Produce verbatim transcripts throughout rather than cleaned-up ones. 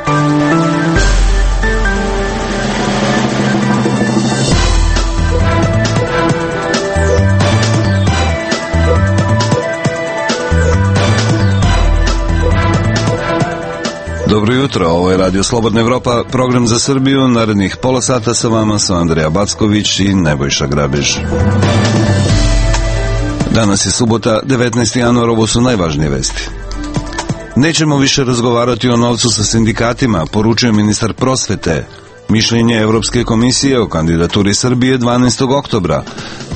Dobro jutro, ovo je Radio Slobodna Evropa, program za Srbiju. Narednih pola sata sa vama su Andreja Backović i Nebojša Grabež. Danas je subota, devetnaesti januar, ovo su najvažnije vesti. Nećemo više razgovarati o novcu sa sindikatima, poručio ministar prosvete. Mišljenje Evropske komisije o kandidaturi Srbije dvanaestog oktobra.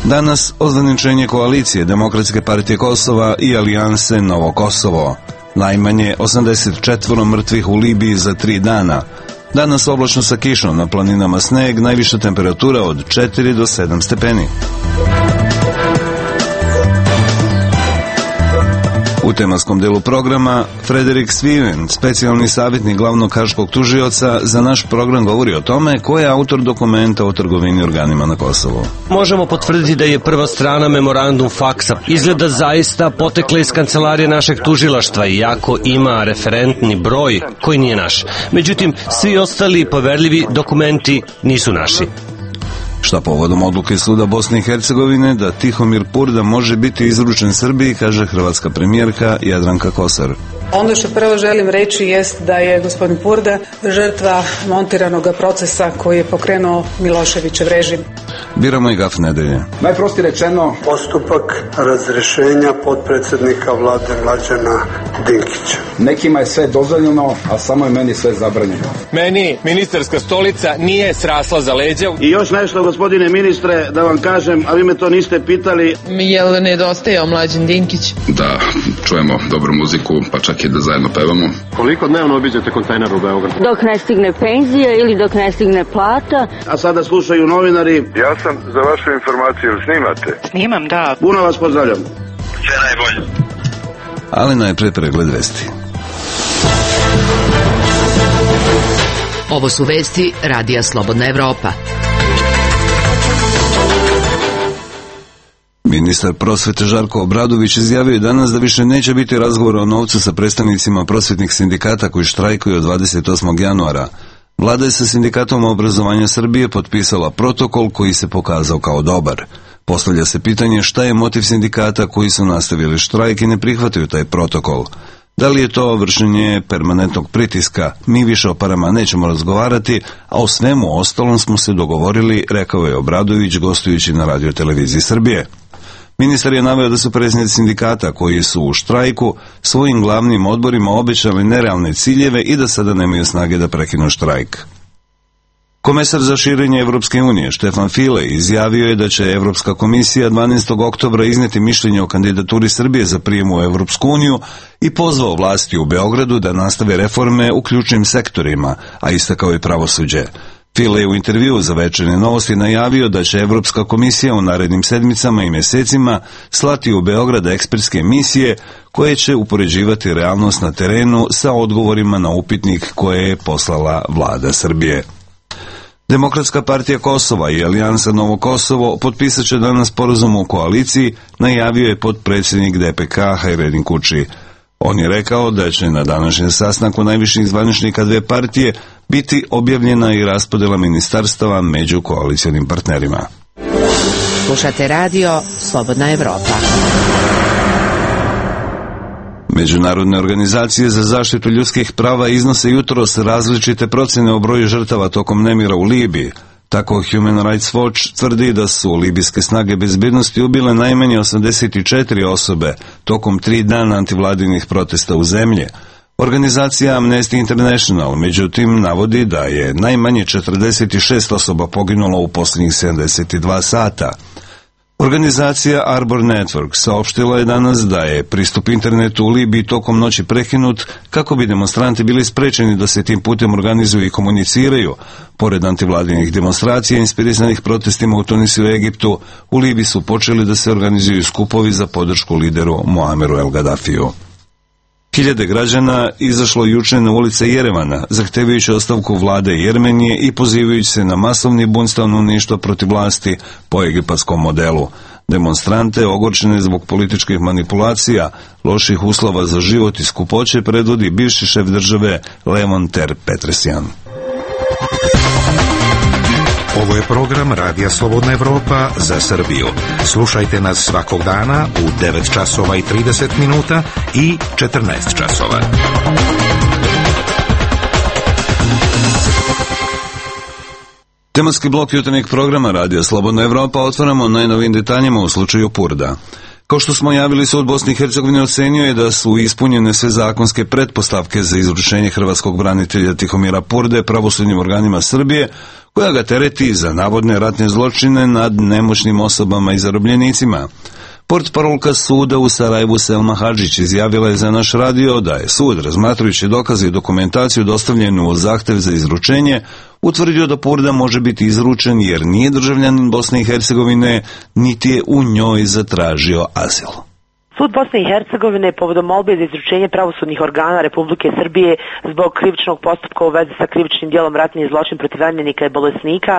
Danas ozvaničenje koalicije Demokratske partije Kosova i Alijanse Novo Kosovo. Najmanje osamdeset četiri mrtvih u Libiji za tri dana. Danas oblačno sa kišom, na planinama sneg, najviša temperatura od četiri do sedam stepeni. U tematskom delu programa Frederik Sviven, specijalni savjetnik glavnog haškog tužioca, za naš program govori o tome ko je autor dokumenta o trgovini organima na Kosovu. Možemo potvrditi da je prva strana memorandum faksa izgleda zaista potekla iz kancelarije našeg tužilaštva, iako ima referentni broj koji nije naš. Međutim, svi ostali poverljivi dokumenti nisu naši. Šta povodom odluke suda Bosne i Hercegovine da Tihomir Purda može biti izručen Srbiji, kaže hrvatska premijerka Jadranka Kosor. Ono što prvo želim reći jest da je gospodin Purda žrtva montiranog procesa koji je pokrenuo Miloševićev režim. Biramo i gaf nedelje. Najprostije rečeno, postupak razrešenja potpredsjednika vlade Mlađana Dinkića. Nekima je sve dozvoljeno, a samo je meni sve zabranjeno. Meni ministarska stolica nije srasla za leđa. I još nešto, gospodine ministre, da vam kažem, a vi me to niste pitali. Jel nedostajao Mlađan Dinkić? Da čujemo dobru muziku, pa čak i da zajedno pevamo. Koliko dnevno obiđete kontejner u Beogradu? Dok ne stigne penzija ili dok ne stigne plata. A sada slušaju novinari. Ja sam za vašu informaciju, snimate? Snimam, da. Puno vas pozdravljam. Sve najbolje. Ali najpre pregled vesti. Ovo su vesti Radija Slobodna Evropa. Ministar prosvete Žarko Obradović izjavio je danas da više neće biti razgovora o novcu sa predstavnicima prosvetnih sindikata koji štrajkuju od dvadeset osmog januara. Vlada je sa Sindikatom obrazovanja Srbije potpisala protokol koji se pokazao kao dobar. Postavlja se pitanje šta je motiv sindikata koji su nastavili štrajk i ne prihvataju taj protokol. Da li je to vršenje permanentnog pritiska? Mi više o parama nećemo razgovarati, a o svemu ostalom smo se dogovorili, rekao je Obradović gostujući na Radio televiziji Srbije. Ministar je naveo da su predsjednici sindikata koji su u štrajku svojim glavnim odborima obećali nerealne ciljeve i da sada nemaju snage da prekinu štrajk. Komesar za širenje Evropske unije Štefan File izjavio je da će Evropska komisija dvanaestog oktobra izneti mišljenje o kandidaturi Srbije za prijem u Evropsku uniju i pozvao vlasti u Beogradu da nastave reforme u ključnim sektorima, a istakao i pravosuđe. File je u intervjuu za Večernje novosti najavio da će Evropska komisija u narednim sedmicama i mjesecima slati u Beograd ekspertske misije koje će upoređivati realnost na terenu sa odgovorima na upitnik koje je poslala vlada Srbije. Demokratska partija Kosova i Alijansa Novo Kosovo potpisat će danas sporazum u koaliciji, najavio je potpredsjednik D P K Hajredin Kuči. On je rekao da će na današnjem sastanku najviših zvaničnika dve partije biti objavljena i raspodjela ministarstava među koalicionim partnerima. Slušate radio Slobodna Evropa. Međunarodne organizacije za zaštitu ljudskih prava iznose jutros različite procjene o broju žrtava tokom nemira u Libiji. Tako Human Rights Watch tvrdi da su libijske snage bezbednosti ubile najmanje osamdeset četiri osobe tokom tri dana antivladinih protesta u zemlji. Organizacija Amnesty International, međutim, navodi da je najmanje četrdeset šest osoba poginulo u posljednjih sedamdeset dva sata. Organizacija Arbor Network saopštila je danas da je pristup internetu u Libiji tokom noći prekinut kako bi demonstranti bili sprečeni da se tim putem organizuju i komuniciraju. Pored antivladinih demonstracija inspirisanih protestima u Tunisu i Egiptu, u Libiji su počeli da se organizuju skupovi za podršku lideru Muameru El Gaddafiju. Hiljade građana izašlo juče na ulice Jerevana, zahtevajući ostavku vlade Jermenije i pozivajući se na masovni bunt stanovništva protiv vlasti po egipatskom modelu. Demonstrante, ogorčene zbog političkih manipulacija, loših uslova za život i skupoće, predvodi bivši šef države Levon Ter Petrosjan. Ovo je program Radija Slobodna Evropa za Srbiju. Slušajte nas svakog dana u devet časova i trideset minuta i četrnaest časova. Tematski blok jutarnjeg programa Radija Slobodna Evropa otvaramo najnovijim detaljima u slučaju Purda. Kao što smo javili, Sud Bosne i Hercegovine ocenio je da su ispunjene sve zakonske pretpostavke za izručenje hrvatskog branitelja Tihomira Purde pravosudnim organima Srbije, koja ga tereti za navodne ratne zločine nad nemoćnim osobama i zarobljenicima. Portparolka suda u Sarajevu Selma Hadžić izjavila je za naš radio da je sud, razmatrajući dokaze i dokumentaciju dostavljenu u zahtev za izručenje, utvrdio da Purda može biti izručen jer nije državljanin Bosne i Hercegovine, niti je u njoj zatražio azil. Sud Bosne i Hercegovine povodom molbe za izručenje pravosudnih organa Republike Srbije zbog krivičnog postupka u vezi sa krivičnim djelom ratni zločin protiv ranjenika i bolesnika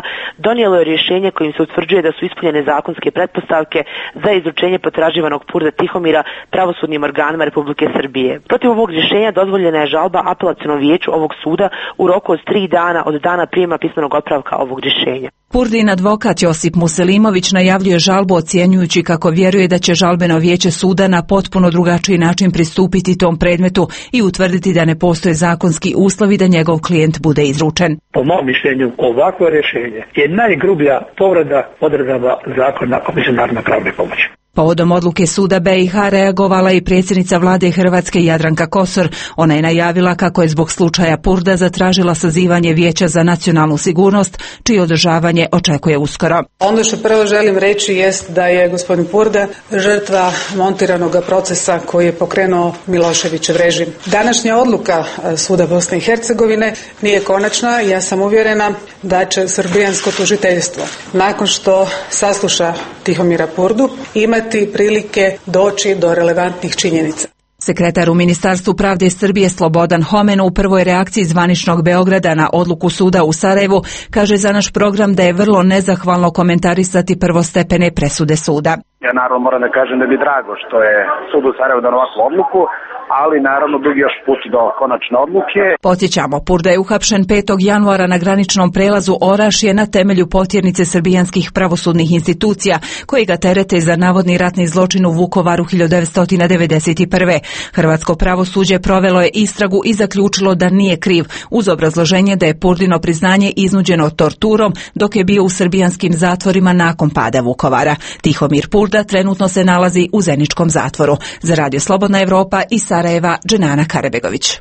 donijelo je rješenje kojim se utvrđuje da su ispunjene zakonske pretpostavke za izručenje potraživanog Purda Tihomira pravosudnim organima Republike Srbije. Protiv ovog rješenja dozvoljena je žalba apelacionom vijeću ovog suda u roku od tri dana od dana prijema pismenog otpravka ovog rješenja. Purdin advokat Josip Muselimović najavljuje žalbu ocjenjujući kako vjeruje da će žalbeno vijeće suda na potpuno drugačiji način pristupiti tom predmetu i utvrditi da ne postoje zakonski uslovi da njegov klijent bude izručen. Po mom mišljenju, ovakvo rješenje je najgrublja povreda odredaba zakona o međunarodnoj pravnoj pomoći. Povodom odluke suda B i H reagovala i predsjednica vlade Hrvatske Jadranka Kosor. Ona je najavila kako je zbog slučaja Purda zatražila sazivanje Vijeća za nacionalnu sigurnost, čije održavanje očekuje uskoro. Ono što prvo želim reći jest da je gospodin Purda žrtva montiranog procesa koji je pokrenuo Miloševićev režim. Današnja odluka suda Bosne i Hercegovine nije konačna. Ja sam uvjerena da će srbijansko tužiteljstvo, nakon što sasluša Tihomira Purdu, imati prilike doći do relevantnih činjenica. Sekretar u Ministarstvu pravde Srbije Slobodan Homen u prvoj reakciji zvaničnog Beograda na odluku suda u Sarajevu kaže za naš program da je vrlo nezahvalno komentarisati prvostepene presude suda. Ja naravno moram da kažem da bi drago što je sud u Sarajevu dao ovakvu odluku, ali naravno dugi još put do konačne odluke. Podsjećamo, Purda je uhapšen petog januara na graničnom prelazu Orašje na temelju potjernice srbijanskih pravosudnih institucija koji ga terete za navodni ratni zločin u Vukovaru hiljadu devetsto devedeset prve. Hrvatsko pravosuđe provelo je istragu i zaključilo da nije kriv, uz obrazloženje da je Purdino priznanje iznuđeno torturom dok je bio u srbijanskim zatvorima nakon pada Vukovara. Tihomir Purda trenutno se nalazi u Zeničkom zatvoru. Za Radio Slobodna Evropa i Sarajeva, Dženana Karabegović.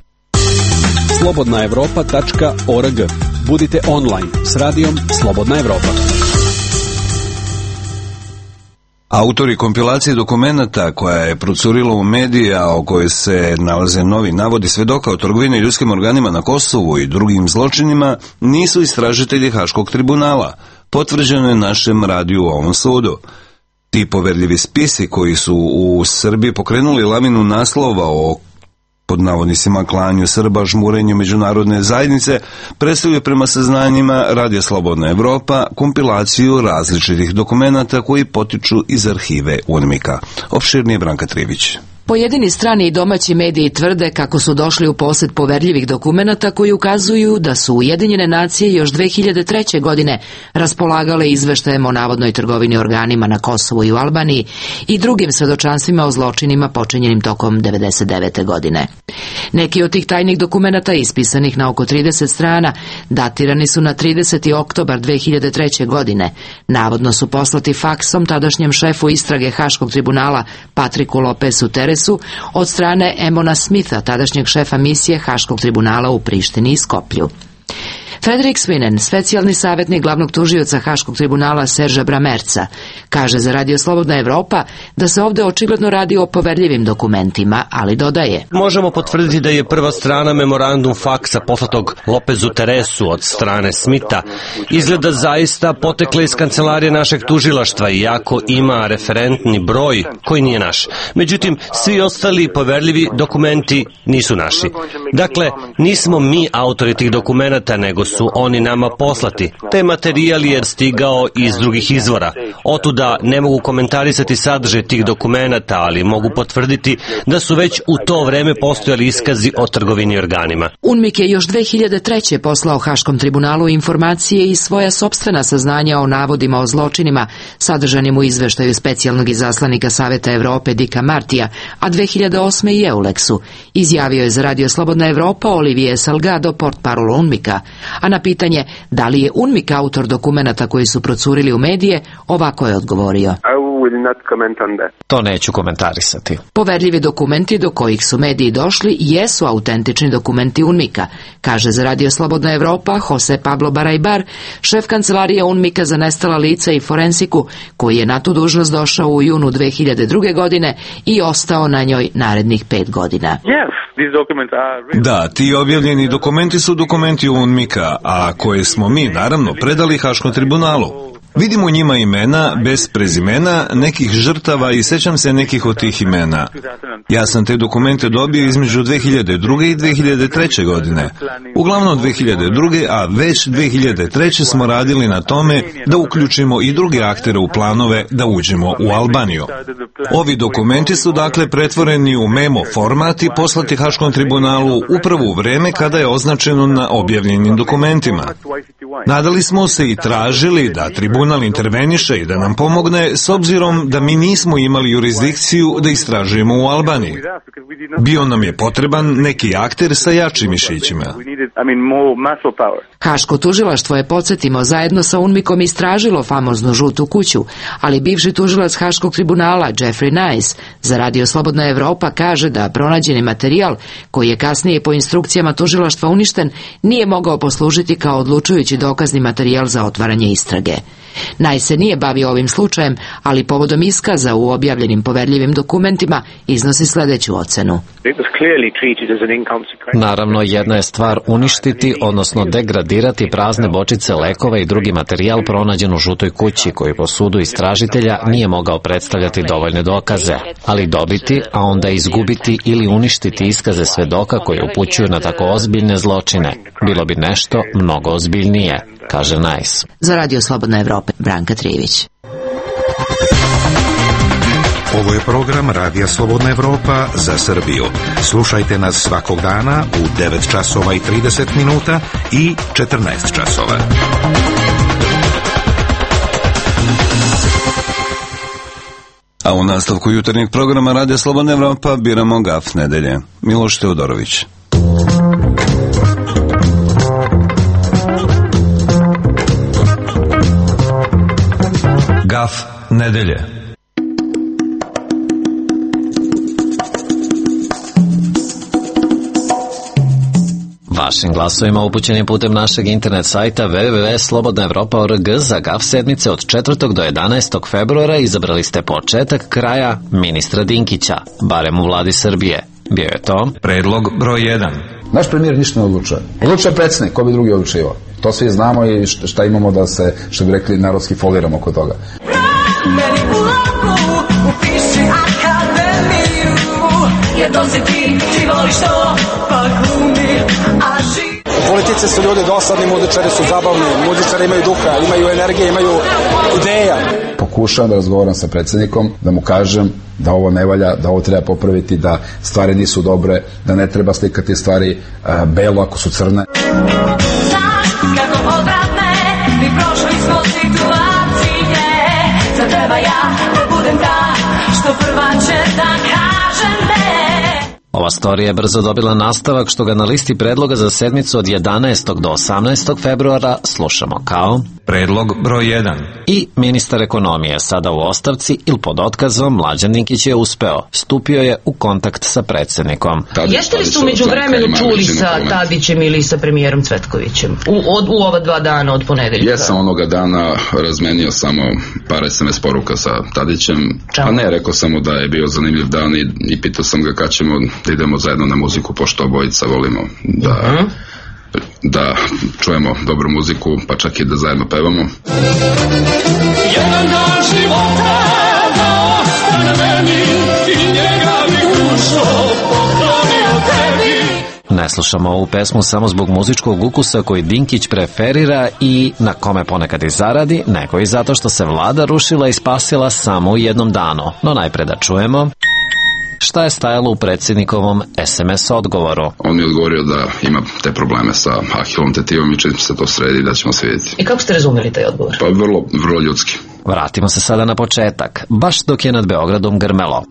slobodna evropa tačka org. Budite online s radijom Slobodna Evropa. Autori kompilacije dokumenata koja je procurila u medije, a o kojoj se nalaze novi navodi svedoka o trgovini ljudskim organima na Kosovu i drugim zločinima, nisu istražitelji Haškog tribunala. Potvrđeno je našem radiju u ovom sudu. Ti poverljivi spisi koji su u Srbiji pokrenuli lavinu naslova o pod navodnicima klanju Srba, žmurenju međunarodne zajednice, predstavljaju prema saznanjima Radija Slobodna Evropa kompilaciju različitih dokumenata koji potiču iz arhive UNMIK-a. Opširnije Branka Trivić. Pojedini strani i domaći mediji tvrde kako su došli u posjed poverljivih dokumenata koji ukazuju da su Ujedinjene nacije još dve hiljade treće. godine raspolagale izveštajem o navodnoj trgovini organima na Kosovu i u Albaniji i drugim svedočanstvima o zločinima počinjenim tokom devedeset devete. godine. Neki od tih tajnih dokumenata, ispisanih na oko trideset strana, datirani su na trideseti oktobar dve hiljade treće. godine. Navodno su poslati faksom tadašnjem šefu istrage Haškog tribunala Patriku Lopesu Teresu od strane Emona Smitha, tadašnjeg šefa misije Haškog tribunala u Prištini i Skoplju. Frederik Svinen, specijalni savjetnik glavnog tužioca Haškog tribunala Serža Bramerca, kaže za Radio Slobodna Evropa da se ovdje očigledno radi o poverljivim dokumentima, ali dodaje: Možemo potvrditi da je prva strana memorandum faksa poslatog Lopezu Teresu od strane Smitha izgleda zaista potekla iz kancelarije našeg tužilaštva, iako ima referentni broj koji nije naš. Međutim, svi ostali poverljivi dokumenti nisu naši. Dakle, nismo mi autori tih dokumenata, nego su oni nama poslati. Taj materijal je stigao iz drugih izvora. Otuda ne mogu komentarisati sadržaj tih dokumenata, ali mogu potvrditi da su već u to vreme postojali iskazi o trgovini organima. UNMIK je još dve hiljade treće. poslao Haškom tribunalu informacije i svoja sopstvena saznanja o navodima o zločinima sadržanim u izveštaju specijalnog izaslanika Saveta Evrope Dika Martija, a dve hiljade osme i Euleksu. Izjavio je za Radio Slobodna Evropa Olivier Salgado, portparol UNMIK-a, a na pitanje da li je UNMIK autor dokumenata koji su procurili u medije, ovako je odgovorio. To neću komentarisati. Poverljivi dokumenti do kojih su mediji došli jesu autentični dokumenti UNMIK-a, kaže za Radio Slobodna Evropa Jose Pablo Barajbar, šef kancelarije UNMIK-a za nestala lica i forensiku, koji je na tu dužnost došao u junu dve hiljade druge. godine i ostao na njoj narednih pet godina. Da, ti objavljeni dokumenti su dokumenti UNMIK-a, a koje smo mi, naravno, predali Haškom tribunalu. Vidimo u njima imena, bez prezimena, nekih žrtava i sećam se nekih od tih imena. Ja sam te dokumente dobio između dve hiljade druge. i dve hiljade treće. godine. Uglavnom dve hiljade druge. a već dve hiljade treće. smo radili na tome da uključimo i druge aktere u planove da uđemo u Albaniju. Ovi dokumenti su dakle pretvoreni u memo format i poslati Haškom tribunalu upravo u vreme kada je označeno na objavljenim dokumentima. Nadali smo se i tražili da tribunal interveniše i da nam pomogne s obzirom da mi nismo imali jurisdikciju da istražujemo u Albaniji. Bio nam je potreban neki akter sa jačim mišićima. Haško tužilaštvo je, podsjetimo, zajedno sa UNMIK-om istražilo famoznu žutu kuću, ali bivši tužilac Haškog tribunala Jeffrey Nice za Radio Slobodna Evropa kaže da pronađeni materijal, koji je kasnije po instrukcijama tužilaštva uništen, nije mogao poslužiti kao odlučujući dokazni materijal za otvaranje istrage. Nice se nije bavio ovim slučajem, ali povodom iskaza u objavljenim poverljivim dokumentima iznosi sljedeću ocenu. Naravno, jedna je stvar uništiti, odnosno degradirati prazne bočice lekova i drugi materijal pronađen u žutoj kući, koji po sudu istražitelja nije mogao predstavljati dovoljne dokaze, ali dobiti, a onda izgubiti ili uništiti iskaze svedoka koji upućuju na tako ozbiljne zločine, bilo bi nešto mnogo ozbiljnije, kaže Nice. Za Radio Slobodna Evropa, Branka Trivić. Ovo je program Radija Slobodna Evropa za Srbiju. Slušajte nas svakog dana u devet časova i trideset minuta i četrnaest časova. A u nastavku jutarnjeg programa Radija Slobodna Evropa biramo Gaf nedelje. Miloš Teodorović. Gaf nedelje. Vašim glasovima upućenim putem našeg internet sajta w w w tačka slobodna evropa tačka org za Gaf sedmice od četvrtog do jedanaestog februara izabrali ste početak kraja ministra Dinkića, barem u vladi Srbije. Bio je to predlog broj jedan. Naš premijer ništa ne odlučuje. Odlučuje predsjednik, ko bi drugi odlučivao. To svi znamo i šta imamo da se, što bi rekli, narodski foliramo oko toga. U politici su ljudi dosadni, muzičari su zabavni, muzičari imaju duha, imaju energije, imaju ideja. Pokušavam da razgovaram sa predsjednikom, da mu kažem da ovo ne valja, da ovo treba popraviti, da stvari nisu dobre, da ne treba slikati stvari uh, belo ako su crne. Ova storija je brzo dobila nastavak, što ga na listi predloga za sedmicu od jedanaestog do osamnaestog februara slušamo kao predlog broj jedan. I ministar ekonomije, sada u ostavci ili pod otkazom, Mlađan Dinkić je uspeo. Stupio je u kontakt sa predsjednikom. Jeste li su među vremenu čuli sa Tadićem ili sa premijerom Cvetkovićem u, od, u ova dva dana od ponedeljka? Jesam onoga dana razmenio samo par es em es poruka sa Tadićem. Čau. A ne, rekao sam mu da je bio zanimljiv dan i, i pitao sam ga kad ćemo da idemo zajedno na muziku, pošto obojica volimo da, uh-huh. da čujemo dobru muziku, pa čak i da zajedno pevamo. Jedan dan života da ostane meni i njega bi dušo poklonio tebi. Ne slušamo ovu pesmu samo zbog muzičkog ukusa koji Dinkić preferira i na kome ponekad i zaradi, nego i zato što se vlada rušila i spasila samo u jednom danu. No najpre da čujemo šta je stajalo u predsjednikovom es em es odgovoru. On mi je odgovorio da ima te probleme sa Ahilom tetivom i čim se to sredi da ćemo se vidjeti. I kako ste razumeli taj odgovor? Pa vrlo, vrlo ljudski. Vratimo se sada na početak, baš dok je nad Beogradom grmelo.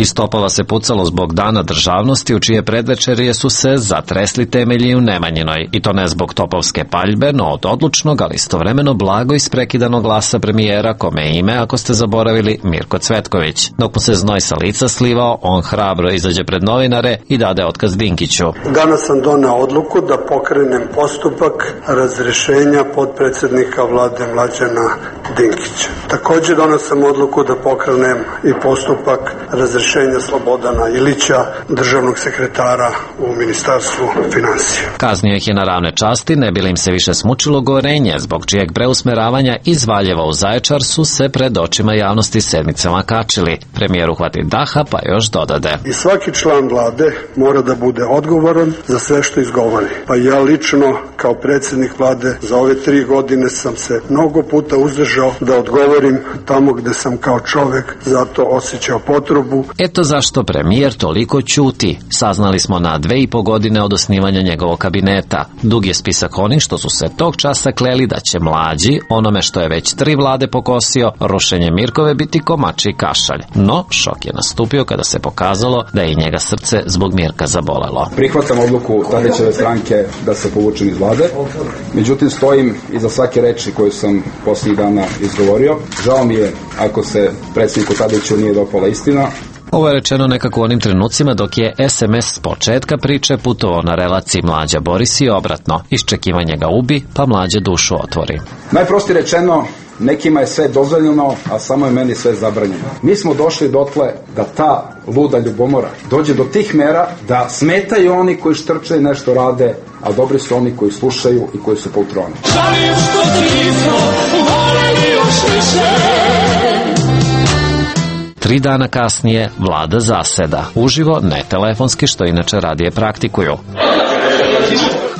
Iz topova se pucalo zbog dana državnosti u čije predvečerje su se zatresli temelji u Nemanjinoj, i to ne zbog topovske paljbe, no od odlučnog, ali istovremeno blago isprekidanog glasa premijera, kome je ime, ako ste zaboravili, Mirko Cvetković. Dok mu se znoj sa lica slivao, on hrabro izađe pred novinare i dade otkaz Dinkiću. Danas sam doneo odluku da pokrenem postupak razrešenja potpredsednika vlade Mlađana Dinkića. Takođe doneo sam odluku da pokrenem i postupak razrešenja Slobodana Ilića, državnog sekretara u Ministarstvu finansija. Kaznio ih je na ravne časti, ne bi li im se više smučilo gorenje, zbog čijeg preusmeravanja iz Valjeva u Zaječar su se pred očima javnosti sedmicama kačili. Premijer uhvati daha pa još dodade. I svaki član vlade mora da bude odgovoran za sve što izgovori. Pa ja lično, kao predsjednik vlade, za ove tri godine sam se mnogo puta uzdržao da odgovorim tamo gde sam kao čovek zato osjećao potrebu. Eto zašto premijer toliko ćuti. Saznali smo na dve i po godine od osnivanja njegovog kabineta. Dug je spisak onih što su se tog časa kleli da će Mlađi, onome što je već tri vlade pokosio, rušenje Mirkove biti komači kašalj. No, šok je nastupio kada se pokazalo da je i njega srce zbog Mirka zabolelo. Prihvatam odluku Tadićeve stranke da se povučem iz vlade, međutim stojim iza svake reči koju sam posljednjih dana izgovorio. Žao mi je ako se predsjedniku Tadiću nije dopala istina. Ovo je rečeno nekako u onim trenucima dok je es em es s početka priče putovao na relaciji Mlađa Boris i obratno. Iščekivanje ga ubi, pa Mlađa dušu otvori. Najprostije rečeno, nekima je sve dozvoljeno, a samo je meni sve zabranjeno. Mi smo došli dotle da ta luda ljubomora dođe do tih mera da smetaju oni koji štrče i nešto rade, a dobri su oni koji slušaju i koji su poltroni. Žalim što ti nismo voljeli još više. Tri dana kasnije vlada zaseda. Uživo, ne telefonski, što inače radije praktikuju.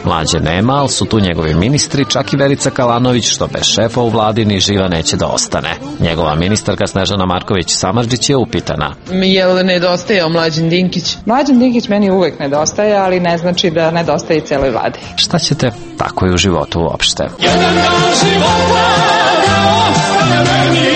Mlađe nema, ali su tu njegovi ministri, čak i Verica Kalanović, što bez šefa u vladi ni živa neće da ostane. Njegova ministarka Snežana Marković-Samardžić je upitana. Je li nedostajao Mlađan Dinkić? Mlađan Dinkić meni uvek nedostaje, ali ne znači da nedostaje i celoj vladi. Šta ćete tako i u životu uopšte? Jedan dan života da ostane meni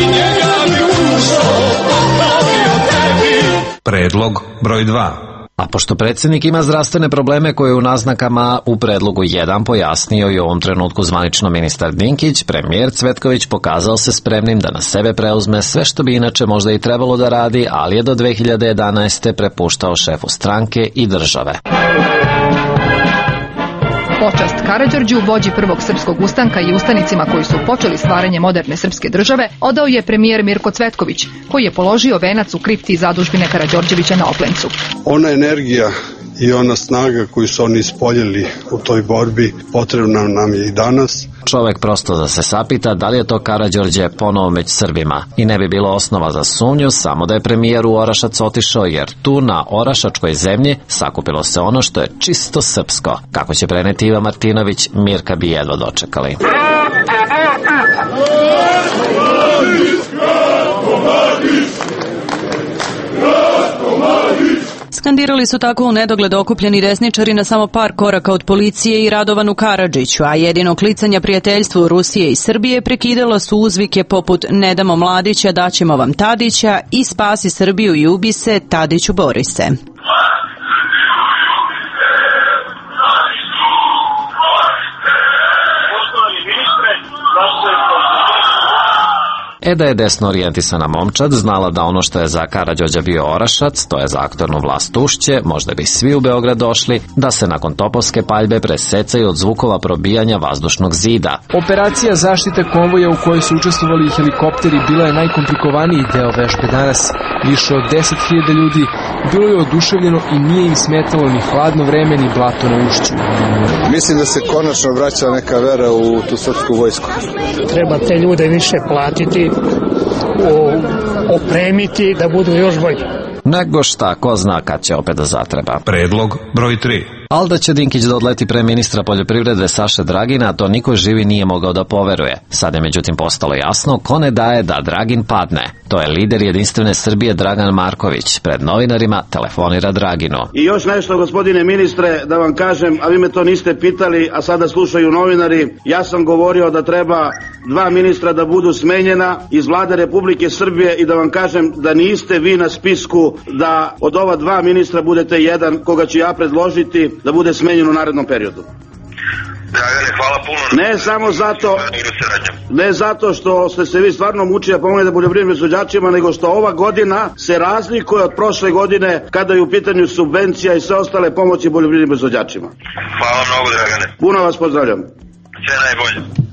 i njega bi ušao popravio tebi. Predlog broj dva. A pošto predsjednik ima zdravstvene probleme koje u naznakama u predlogu jedan pojasnio i u ovom trenutku zvanično ministar Dinkić, premijer Cvetković pokazao se spremnim da na sebe preuzme sve što bi inače možda i trebalo da radi, ali je do dve hiljade jedanaeste. prepuštao šefu stranke i države. Počast Karađorđu, vođi prvog srpskog ustanka i ustanicima koji su počeli stvaranje moderne srpske države, odao je premijer Mirko Cvetković, koji je položio venac u kripti zadužbine Karađorđevića na Oplencu. Ona energija i ona snaga koju su oni ispoljili u toj borbi potrebna nam je i danas. Čovek prosto da se sapita da li je to Karađorđe ponovo među Srbima. I ne bi bilo osnova za sumnju samo da je premijer u Orašac otišao, jer tu na orašačkoj zemlji sakupilo se ono što je čisto srpsko. Kako će preneti Iva Martinović, Mirka bi jedva dočekali. Skandirali su tako u nedogled okupljeni desničari na samo par koraka od policije i Radovanu Karadžiću, a jedino klicanja prijateljstvu Rusije i Srbije prekidala su uzvike poput "Ne damo Mladića, daćemo vam Tadića" i "Spasi Srbiju i ubi se, Tadiću bori se". E da je desno orijentisana momčad znala da ono što je za Karađorđa bio Orašac, to je za aktornu vlast Ušće, možda bi svi u Beograd došli, da se nakon topovske paljbe presecaju od zvukova probijanja vazdušnog zida. Operacija zaštite konvoja u kojoj su učestvovali helikopteri bila je najkomplikovaniji deo vežbe danas. Više od deset hiljada ljudi bilo je oduševljeno i nije im smetalo ni hladno vreme ni blato na Ušću. Mislim da se konačno vraća neka vera u tu srpsku vojsku. Treba te ljude više platiti u opremiti da budu još bolji. Nego šta, ko zna kad će opet da zatreba. Predlog broj tri. Ali da će Dinkić da odleti pre ministra poljoprivrede Saše Dragina, to niko živi nije mogao da poveruje. Sad je međutim postalo jasno ko ne daje da Dragin padne. To je lider Jedinstvene Srbije Dragan Marković. Pred novinarima telefonira Draginu. I još nešto, gospodine ministre, da vam kažem, a vi me to niste pitali, a sada slušaju novinari. Ja sam govorio da treba dva ministra da budu smenjena iz vlade Republike Srbije i da vam kažem da niste vi na spisku da od ova dva ministra budete jedan koga ću ja predložiti da bude smenjen u narednom periodu. Dragane, hvala puno. Ne samo zato, ne zato što ste se vi stvarno mučili da pomognete poljoprivrednim proizvođačima, nego što ova godina se razlikuje od prošle godine kada je u pitanju subvencija i sve ostale pomoći poljoprivrednim proizvođačima. Hvala mnogo, Dragane. Puno vas pozdravljam. Sve najbolje.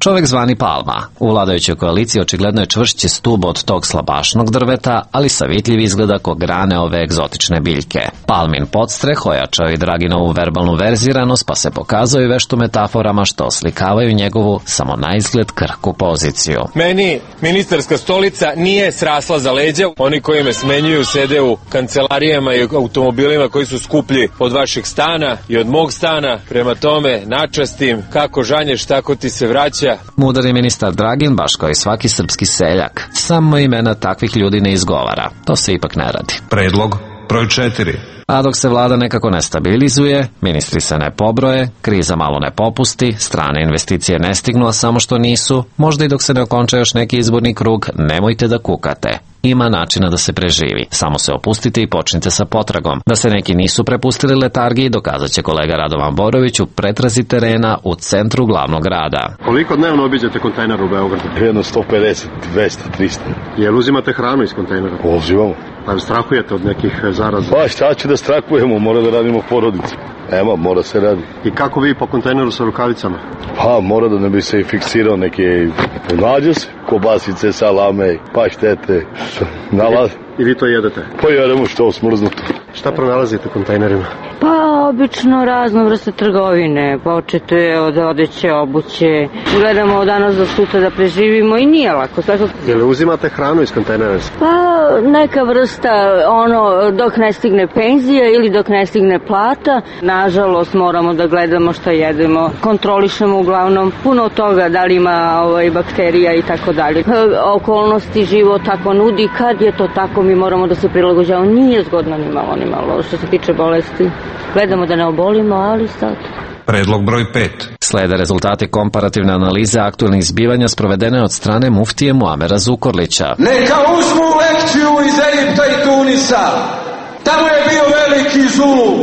Čovek zvani Palma. U vladajućoj koaliciji očigledno je čvršći stub od tog slabašnog drveta, ali savitljiv izgleda ko grane ove egzotične biljke. Palmin podstreh ojačao i Draginovu verbalnu verziranost, pa se pokazao i veštu metaforama što oslikavaju njegovu samo na izgled krhku poziciju. Meni ministarska stolica nije srasla za leđa. Oni koji me smenjuju sede u kancelarijama i automobilima koji su skuplji od vašeg stana i od mog stana. Prema tome, načastim, kako žanješ, tako ti se vraća. Mudar je ministar Dragin, baš kao i svaki srpski seljak. Samo imena takvih ljudi ne izgovara. To se ipak ne radi. Predlog broj četiri. A dok se vlada nekako ne stabilizuje, ministri se ne pobroje, kriza malo ne popusti, strane investicije ne stignu, a samo što nisu, možda i dok se ne okonča još neki izborni krug, nemojte da kukate. Ima načina da se preživi. Samo se opustite i počnite sa potragom. Da se neki nisu prepustili letargiji, dokazat će kolega Radovan Borović u pretrazi terena u centru glavnog grada. Koliko dnevno obiđete kontejnera u Beogradu? Jedno sto pedeset, dvesta, trista. Jel uzimate hranu iz kontejnera? Uzimamo. Pa strahujete od nekih zaraza? Pa šta ću da strahujemo, mora da radimo porodicu. Ema, mora se radi. I kako vi po kontejneru sa rukavicama? Pa mora da ne bi se fiksirao neke, nađe se, kobasice, salame, paštete, nalaz. I vi to jedete? Pa jedemo što smrznuto. Šta pronalazite u kontejnerima? Pa obično razno vrste trgovine, počete od odeće, obuće, gledamo od danas do sutra da preživimo i nije lako. Je li uzimate hranu iz kontejnera? Pa neka vrsta, ono, dok ne stigne penzija ili dok ne stigne plata. Nažalost moramo da gledamo šta jedemo, kontrolišemo uglavnom puno toga, da li ima ovaj, bakterija i tako dalje. Okolnosti život tako nudi, kad je to tako mi moramo da se prilagođavamo, nije zgodno ni malo, ni malo što se tiče bolesti. Gledamo da ne obolimo, ali sad... Predlog broj pet. Slede rezultati komparativne analize aktualnih zbivanja sprovedene od strane muftije Muamera Zukorlića. Neka uzmu lekciju iz Egipta i Tunisa. Tamo je bio veliki zulum,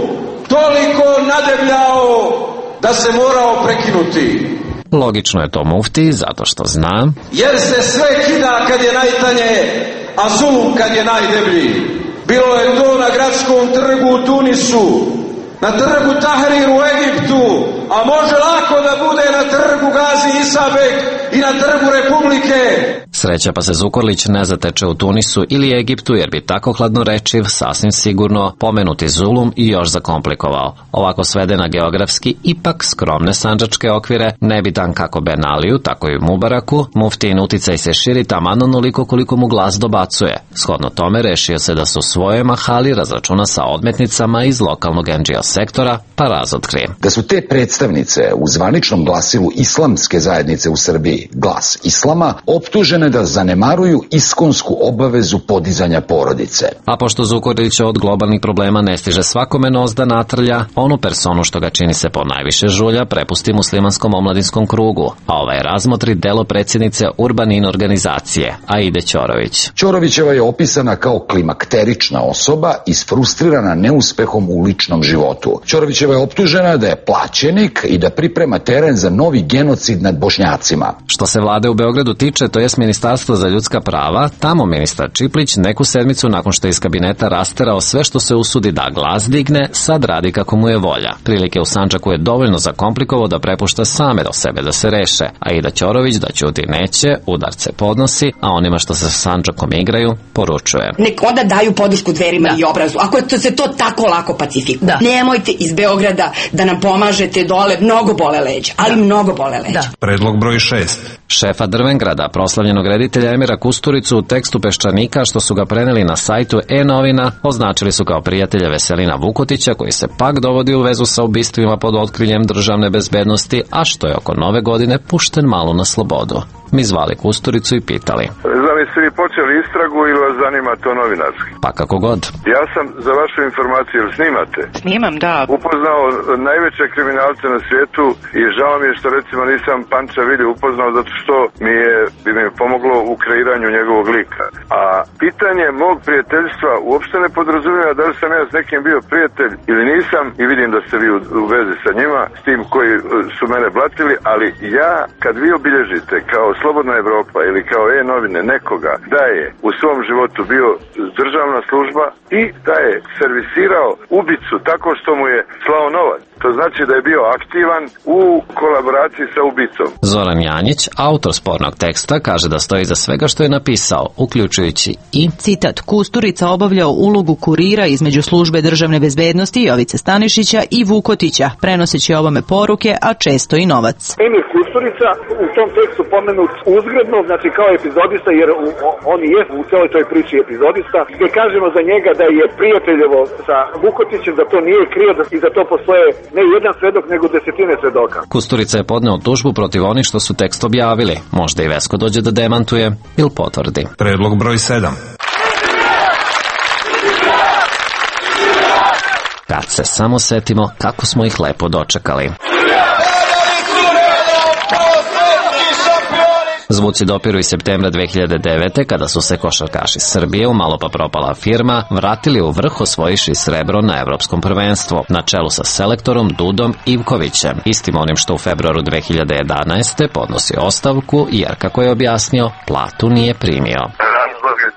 toliko nadebljao da se morao prekinuti. Logično je to mufti, zato što zna... Jer se sve kida kad je najtanje, a zulum kad je najdeblji. Bilo je to na gradskom trgu u Tunisu, na trgu Tahrir u Egiptu, a može lako da bude na trgu Gazi Isabek i na trgu Republike. Sreća pa se Zukorlić ne zateče u Tunisu ili Egiptu, jer bi tako hladnorečiv sasvim sigurno pomenuti zulum i još zakomplikovao. Ovako svede na geografski, ipak skromne sandžačke okvire, nebitan kako Ben Aliju, tako i Mubaraku, muftin uticaj se širi taman onoliko koliko mu glas dobacuje. Shodno tome rešio se da su svoje mahali razračuna sa odmetnicama iz lokalnog N G O sektora, pa razotkrije. Da su te predstavnice u zvaničnom glasilu islamske zajednice u Srbiji, Glas Islama, optužene da zanemaruju iskonsku obavezu podizanja porodice. A pošto Zukorlić od globalnih problema ne stiže svakome nos da natrlja, onu personu što ga čini se po najviše žulja prepusti muslimanskom omladinskom krugu, a ovaj razmotri delo predsjednice Urbanin organizacije, Aide Ćorović. Ćorovićeva je opisana kao klimakterična osoba isfrustrirana neuspehom u ličnom životu. Ćorovićeva je optužena da je plaćenik i da priprema teren za novi genocid nad Bošnjacima. Što se vlade u Beogradu tiče, to jest Ministarstvo za ljudska prava, tamo ministar Čiplić neku sedmicu nakon što je iz kabineta rasterao sve što se usudi da glas digne, sad radi kako mu je volja. Prilike u Sandžaku je dovoljno zakomplikovao da prepušta same do sebe da se reše, a Ida Ćorović da ćuti neće, udarce podnosi, a onima što se sa Sandžakom igraju, poručuje. Nek onda daju podršku Dverima i Obrazu, ako to se to tako lako pacifikuje. Da. Nemojte iz Beograda da nam pomažete dole, mnogo bole leđa, ali da. mnogo bole leđa. Da. Predlog broj šest. Šefa Drvengrada, proslavljenog pokojnog reditelja Emira Kusturicu u tekstu Peščanika što su ga preneli na sajtu E-novina označili su kao prijatelja Veselina Vukotića, koji se pak dovodi u vezu sa ubistvima pod otkriljem državne bezbednosti, a što je oko nove godine pušten malo na slobodu. Mi zvali Kusturicu i pitali: Znam, jeste vi počeli istragu ili vas zanima to novinarski? Pa kako god. Ja sam, za vašu informaciju, jer snimate? Snimam, da. Upoznao najveće kriminalce na svijetu i žao mi je što recimo nisam Panča Vilju upoznao, zato što mi je, bi mi pomoglo u kreiranju njegovog lika. A pitanje mog prijateljstva uopšte ne podrazumijeva da li sam ja s nekim bio prijatelj ili nisam, i vidim da ste vi u, u vezi sa njima, s tim koji su mene blatili, ali ja, kad vi obilježite kao Slobodna Evropa ili kao E-novine nekoga da je u svom životu bio državna služba i da je servisirao ubicu tako što mu je slao novac, to znači da je bio aktivan u kolaboraciji sa ubicom. Zoran Janjić, autor spornog teksta, kaže da stoji za svega što je napisao, uključujući i citat: Kusturica obavljao ulogu kurira između službe državne bezbednosti Jovice Stanišića i Vukotića, prenoseći ovome poruke, a često i novac. Emir Kusturica u tom tekstu pomenut uzgredno, znači kao epizodista, jer on je u celoj toj priči epizodista, gdje kažemo za njega da je prijateljevo sa Vukotićem, da to nije krio i da to postoje ne jedan svedok, nego desetine svedoka. Kusturica je podneo tužbu protiv onih što su tekst objavili. Možda i Vesko dođe da demantuje ili potvrdi. Predlog broj sedam. Kad se samo setimo kako smo ih lepo dočekali. Zvuci dopiru iz septembra dve hiljade devete. kada su se košarkaši Srbije, u malo pa propala firma, vratili u vrh osvojiši srebro na evropskom prvenstvu, na čelu sa selektorom Dudom Ivkovićem, istim onim što u februaru dve hiljade jedanaeste. podnosi ostavku jer, kako je objasnio, platu nije primio.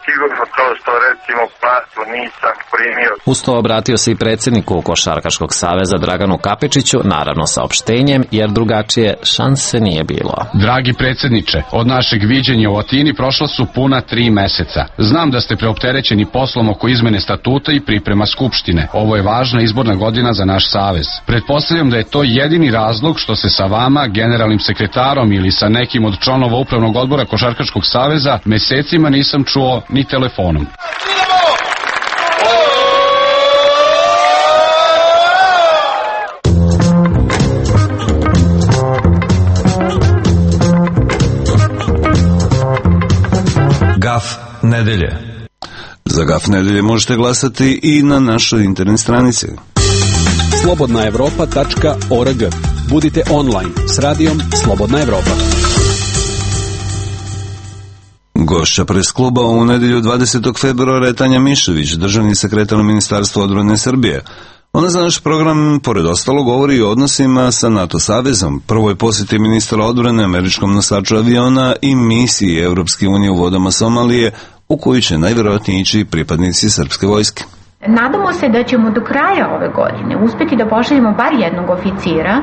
Sigurno to što recimo platu nisam primio. Uz to obratio se i predsjedniku Košarkaškog saveza Draganu Kapičiću, naravno saopštenjem, jer drugačije šanse nije bilo. Dragi predsjedniče, od našeg viđenja u Atini prošla su puna tri meseca. Znam da ste preopterećeni poslom oko izmene statuta i priprema skupštine. Ovo je važna izborna godina za naš savez. Pretpostavljam da je to jedini razlog što se sa vama, generalnim sekretarom ili sa nekim od članova upravnog odbora Košarkaškog saveza mesecima nisam čuo ni telefonom. Gaf nedelje. Za Gaf nedelje možete glasati i na našoj internet stranici slobodna evropa tačka org. Budite online s radijom Slobodna Evropa. Gošća pres kluba u nedelju dvadesetog februara je Tanja Mišević, državni sekretar Ministarstva odbrane Srbije. Ona za naš program, pored ostalo, govori i o odnosima sa NATO savezom, prvoj posjeti ministra odbrane američkom nosaču aviona i misiji Evropske unije u vodama Somalije, u koju će najvjerojatnije ići pripadnici srpske vojske. Nadamo se da ćemo do kraja ove godine uspjeti da pošaljemo bar jednog oficira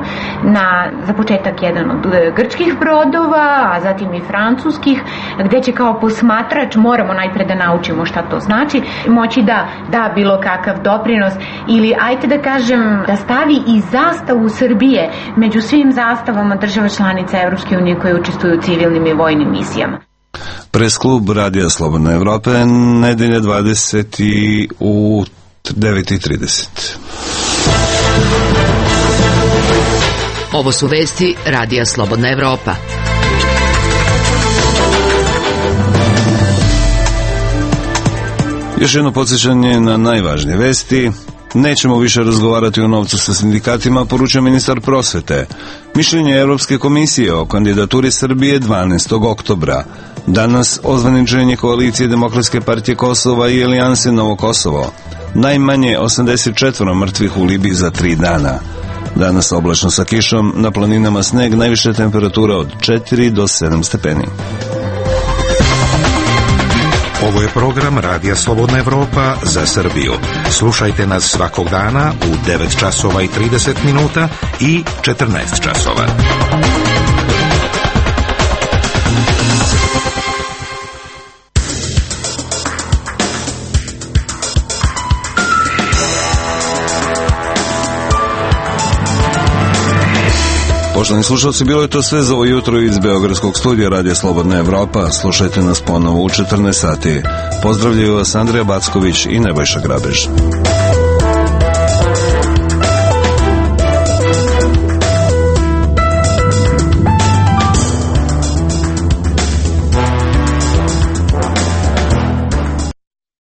na, za početak, jedan od grčkih brodova, a zatim i francuskih, gdje će kao posmatrač, moramo najpre da naučimo šta to znači, moći da da bilo kakav doprinos ili, ajte da kažem, da stavi i zastavu Srbije među svim zastavama država članica Evropske unije koje učestvuju u civilnim i vojnim misijama. Pres klub Radija Slobodna Evropa, nedelja dvadeset u devet i trideset. Ovo su vesti Radija Slobodna Evropa. Još jedno podsjećanje na najvažnije vesti. Nećemo više razgovarati o novcu sa sindikatima, poručuje ministar prosvete. Mišljenje Evropske komisije o kandidaturi Srbije dvanaestog oktobra. Danas ozvaničenje koalicije Demokratske partije Kosova i Alijanse Novo Kosovo. Najmanje osamdeset četiri mrtvih u Libiji za tri dana. Danas oblačno sa kišom, na planinama sneg, najviše temperatura od četiri do sedam stepeni. Ovo je program Radija Slobodna Evropa za Srbiju. Slušajte nas svakog dana u devet časova i trideset minuta i četrnaest časova. Poštovani slušalci, bilo je to sve za ovo jutro iz Beogradskog studija Radija Slobodna Evropa. Slušajte nas ponovo u četrnaest sati. Pozdravljaju vas Andrija Backović i Nebojša Grabež.